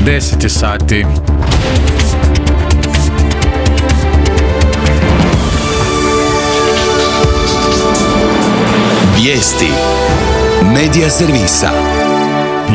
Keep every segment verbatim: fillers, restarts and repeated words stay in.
deset je sati. Vijesti Medija servisa.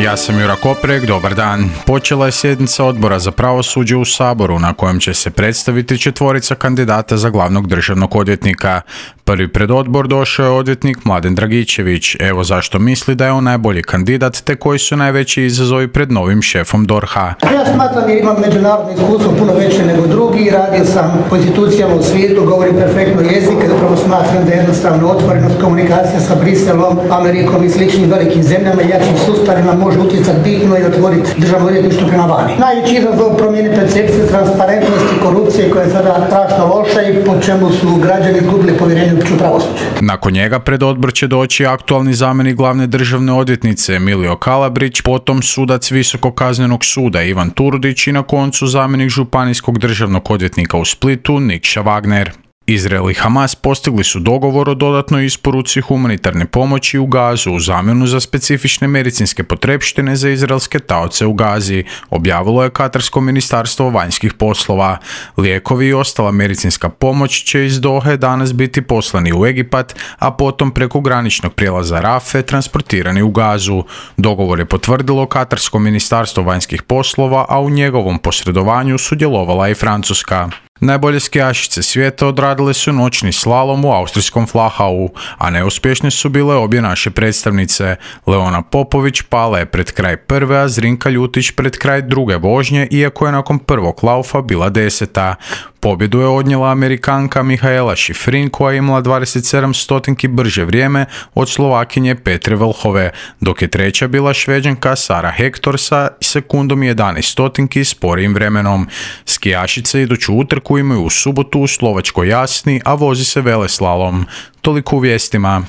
Ja sam Jura Koprek, dobar dan. Počela je sjednica Odbora za pravosuđe u Saboru na kojem će se predstaviti četvorica kandidata za glavnog državnog odvjetnika. Prvi pred odbor došao je odvjetnik Mladen Dragičević. Evo zašto misli da je on najbolji kandidat te koji su najveći izazovi pred novim šefom D O R H-a. Ja smatram jer imam međunarodno iskustvo puno veće nego drugi, radio sam po institucijama u svijetu, govorim perfektno jezik, zapravo smatram da je jednostavno otvorenost komunikacija sa Briselom, Amerikom i sličnim velikim zemljama i jačim sustavima može utjecati bitno i otvoriti državno odvjetništvo prema vani. Najveći izazov promjene percepcije, transparentnosti, korupcije koja je sada strašno loša i po čemu su građani izgubili povjerenje u pravosuđe. Nakon njega pred odbor će doći aktualni zamjenik glavne državne odvjetnice Emilio Kalabrić, potom sudac Visokog kaznenog suda Ivan Turudić i na koncu zamjenik županijskog državnog odvjetnika u Splitu Nikša Wagner. Izrael i Hamas postigli su dogovor o dodatnoj isporuci humanitarne pomoći u Gazu u zamjenu za specifične medicinske potrepštine za izraelske taoce u Gazi, objavilo je Katarsko ministarstvo vanjskih poslova. Lijekovi i ostala medicinska pomoć će iz Dohe danas biti poslani u Egipat, a potom preko graničnog prijelaza Rafe transportirani u Gazu. Dogovor je potvrdilo Katarsko ministarstvo vanjskih poslova, a u njegovom posredovanju sudjelovala i Francuska. Najbolje skijašice svijeta odradile su noćni slalom u austrijskom Flachau, a neuspješne su bile obje naše predstavnice. Leona Popović pala je pred kraj prve, a Zrinka Ljutić pred kraj druge vožnje, iako je nakon prvog laufa bila deseta. Pobjedu je odnijela Amerikanka Mihaela Šifrin koja je imala dvadeset sedam stotinki brže vrijeme od Slovakinje Petre Vlhove, dok je treća bila Šveđanka Sara Hector sa sekundom jedanaest stotinki sporijim vremenom. Skijašice iduću utrku imaju u subotu u Slovačkoj Jasni, a vozi se veleslalom. Toliko u vijestima.